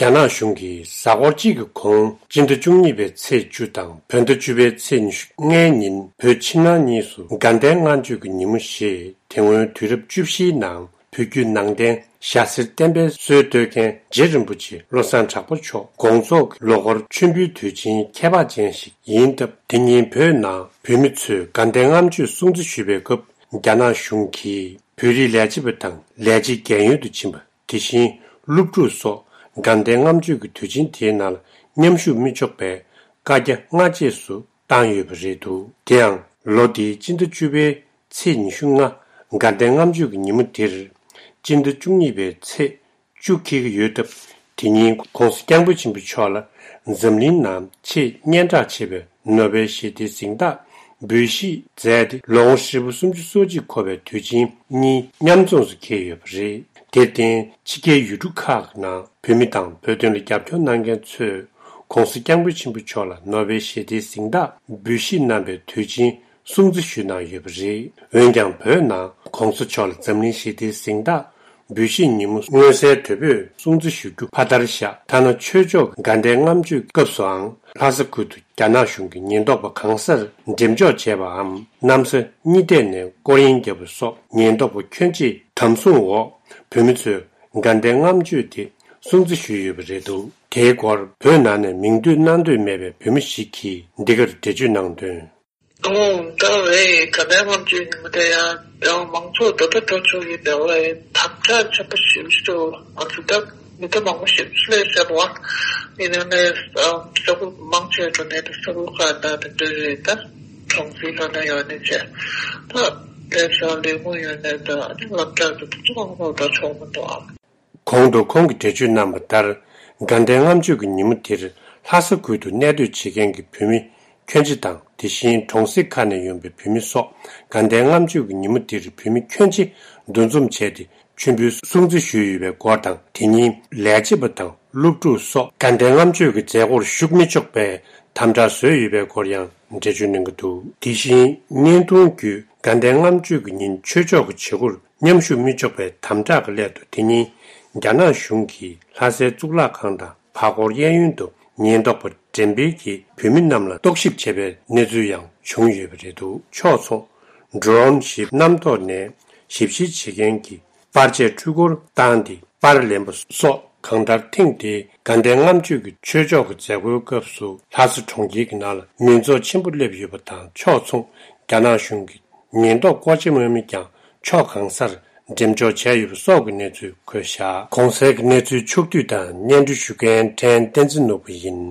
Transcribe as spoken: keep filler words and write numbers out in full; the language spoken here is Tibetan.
རྒྱ་ནག་གཞུང་གིས་གཟའ་འཁོར་གཅིག་གི་གོང་སྤྱི་ཟླ་བཅུ་གཉིས་པའི་ཚེས་བཅུ་དང་བོད་ཟླ་བཅུ་པའི་ཚེས་ཉི་ཤུ་ལྔའི་ཉིན་བོད་ཕྱི་ནང་གཉིས་སུ་དགའ་ལྡན་ལྔ་མཆོད་ཀྱི་ཉིན་མོ་ཞེས་དེ་སྔོན་དུས་རབས་བཅུ་བཞིའི་ནང་བོད་བརྒྱུད་ནང་བསྟན་ཞྭ་སེར་བསྟན་པའི་སྲོལ་གཏོད་མཁན་རྗེ་རིན་པོ་ཆེ་བློ་བཟང་གྲགས་པ་མཆོག་དགོངས་རྫོགས་ཀྱི་ལོ་འཁོར་མཆོད་འབུལ་དུས་ཆེན་ཁྱད་འཕགས་ཅན་ཞིག་ཡིན་སྟབས། དེ་ཉིན་བོད་ནང་བོད་མི་ཚོས་དགའ་ལྡན་ལྔ་མཆོད་སྲུང་བརྩི་ཞུས་པའི་སྐབས། རྒྱ་ནག་གཞུང་གིས་བོད་རིགས་ལས་བྱེད་པ་དང་ལས་བྱེད་རྒན་ཡོལ་དུ་ཕྱིན་པ། དེ་བཞིན་སློབ་ཕྲུག་སོགས་དགའ་ལྡན་ལྔ་མཆོད་ཀྱི་དུས་ཆེན་དེའི་ནང་ལ་མཉམ་ཞུགས་མི་ཆོག་པའི་བཀའ་རྒྱ་སྔ་རྗེས་སུ་བཏང་ཡོད་པ་རེད་འདུག་དེ་ཡང་ལོ་འདིའི་སྤྱི་ཟླ་བཅུ་པའི་ཚེས་ཉི་ཤུ་ལྔ་དགའ་ལྡན་ལྔ་མཆོད་ཀྱི་ཉིན་མོ་དེར་སྤྱི་ཟླ་བཅུ་གཉིས་པའི་ཚེས་བཅུ་འཁེལ་གྱི་ཡོད་སྟབས། དེ་ཉིན་༸གོང་ས་༸སྐྱབས་མགོན་ཆེན་པོ་མཆོག་ལ་འཛམ་གླིང་ནང་ཆེས་སྙན་གྲགས་ཆེ་བའི་ནོ་བེལ་ཞི་བདེའི་གཟེངས་རྟགས་འབུལ་བཞེས་མཛད་དེ་ལོ་ངོ་ཧྲིལ་པོ་སུམ་ཅུ་སོ་གཅིག་འཁོར་བའི་དུས་ཆེན་གཉིས་མཉམ་འཛོམས་སུ་འཁེལ་ཡོད་པ་རེད། དེར་བརྟེན་ཕྱི་རྒྱལ་ཡུལ་གྲུ་ཁག་ནང་བོད་མི་དང་བོད་དོན་ལ་རྒྱབ་སྐྱོར་གནང་མཁན་ཚོས་༸གོང་ས་༸སྐྱབས་མགོན་ཆེན་པོ་མཆོག་ལ་ནོ་བེལ་ཞི་བདེའི་གཟེངས་རྟགས་འབུལ་བཞེས་གནང་པའི་དུས་ཆེན་སྲུང་བརྩི་ཞུས་གནང་ཡོད་པ་རེད། འོན་ཀྱང་བོད་ནང་༸གོང་ས་མཆོག་ལ་འཛམ་གླིང་ཞི་བདེའི་གཟེངས་རྟགས་འབུལ་བཞེས་ཉིན་མོ་མངོན་གསལ་དོད་པོས་སྲུང་བརྩི་ཞུ་རྒྱུ་ཕ་མཐར་བཞག་ཐ་ན་ཆོས་ཕྱོགས་དགའ་ལྡན་ལྔ་མཆོད་སྐབས་སུའང་ལྷ་ས་ཁུལ་དུ་རྒྱ་ནག་གཞུང་གི་ཉེན་རྟོག་པ་གང་སར་འགྲེམས་འཇོག་བྱས་པའམ་གནམ་ས་གཉིས་ཐད་ནས་སྐོར་གཡེང་བརྒྱབ་པ་སོགས་ཉེན་རྟོག་པ་ཁྱོན་ཆེ་དམ་བཟུང་འོག་བོད་མི་ཚོས་དགའ་ལྡན་ལྔ་མཆོད་དེ་སྲུང་བརྩི་ཞུས་ཡོད་པ་རེད་འདུག་དེའི་སྐོར་བོད་ནང་ནས་མིང་འདོན་གནང་འདོད་མེད་པའི་བོད་མི་ཞིག་གིས་འདི་གར་འགྲེལ་བརྗོད་གནང་དོན། ཨོ། ད་རེད། དགའ་ལྡན་ལྔ་མཆོད་ཉིན་མོ་དེ་ཡང་ཡང་མང་ཚོགས་འདོད་པ་འགྲོ་ཆོག་ཡིན་པའི་དབའི་དམ་དྲག་ཆེན་པོ་ཞིག་ཞུ། ང་ཚོ་ད་མི་ད་མང་པོ་ཞིག་སླེབས་ཟེར་བ། ཡིན་ནའི་ས་ཁུལ་མང་ཆེ་འགྲོ་ནས་ད་ས་ཁུལ་ཁག་ད་དེ་འདྲ་རེད། ད་གྲོང་གསེབ་ལ་ན་ཡོད་ནས་བྱས་ད་སླེབས་ས་ལས་ངོ་ཡོད་ནས་ད་ཨ་ནི་སློབ་གྲྭ་དུ་དུ་ཚོགས་འགྲོ་ད་ཆོག་མི་འདུག་ཨ། གོང་དུ་ཁོང་གིས་འགྲེལ་བརྗོད་གནང་བ་ལྟར། དགའ་ལྡན་ལྔ་མཆོད་ཀྱི་ཉིན་མོ་དེར་ལྷ་ས་ཁུལ་དུ་གནས་སྡོད་བྱེད་མཁན་གྱི་བོད་མི་ཁྱོན་ཆེ་དང་དེ་བཞིན་གྲོང་གསེབ་ཁག་ནས་ཡོང་པའི་བོད་མི་སོགས་དགའ་ལྡན་ལྔ་མཆོད་ཀྱི་ཉིན་མོ་དེར་བོད་མི་ཁྱོན་ཆེ་འདུ་འཛོམས་བྱས་ཏེ་མཆོད་འབུལ་སྲུང་བརྩི་ཞུས་ཡོད་པའི་སྐོར་དང་དེ་ཉིན་ལས་བྱེད་པ་དང་སློབ་ཕྲུག་སོགས་དགའ་ལྡན་ལྔ་མཆོད་ཀྱི་མཛད་སྒོར་ཞུགས་མི་ཆོག་པའི་དམ་དྲག་བཟོས་ཡོད་པའི་སྐོར་ཡང་འགྲེལ་བརྗོད་གནང་གི་འདུག་དེ་བཞིན་བརྙན་ཐུང་བརྒྱུད་དགའ་ལྡན་ལྔ་མཆོད་ཀྱི་ཉིན་ཆོས་ཕྱོགས་ཀྱི་བྱེད་སྒོར། མཉམ་ཞུགས་མི་ཆོག་པའི་དམ་དྲག་གི་སླད་དུ་དེ་ཉིན་རྒྱ་ནག་གཞུང་གིས་ལྷ་སའི་གཙུག་ལག་ཁང་དང་བར་སྐོར་གཡས་གཡོན་དུ་ཉེན་རྟོག་པ་འགྲེམས་སྤེལ་གྱིས་བོད་མི་རྣམས་ལ་རྟོག་ཞིབ་བྱས་པའི་གནས་ཚུལ་ཡང་བྱུང་ཡོད་པ་རེད་འདུག་ཕྱོགས་མཚུངས་ཌོ་རོན་ཞིག་གནམ་ཐོག་ནས་ཞིབ་བཤེར་བྱེད་མཁན་གྱི་པར་ཆས་འཕྲུལ་འཁོར་བཏང་སྟེ་པར་ལེན་པ་སོགས་གང་ལྟར་ཐེངས་འདིའི་དགའ་ལྡན་ལྔ་མཆོད་ཀྱི་ཆོས་ཕྱོགས་ཀྱི་མཛད་སྒོའི་སྐབས་སུ་ལྷ་ས་གྲོང་ཁྱེར་གྱི་ནང་ལ་མི་ཚོགས་ཆེན་པོ་སླེབས་ཡོད་པ་དང་ཕྱོགས་མཚུངས་རྒྱ་ནག་གཞུང་གིས། ཉེན་རྟོག་བཀོལ་སྤྱོད་དམག་མི་ཀྱང་ཕྱོགས་གང་སར་འགྲེམས་འཇོག་བྱས་ཡོད་པ་སོགས་ཀྱི་གནས་ཚུལ་འཁོད་བཞག་གོང་གསལ་གྱི་གནས་ཚུལ་ཕྱོགས་བསྡུས་དང་སྙན་སྒྲོན་ཞུ་མཁན་ཕྲན་བསྟན་འཛིན་ནོར་བུ་ཡིན།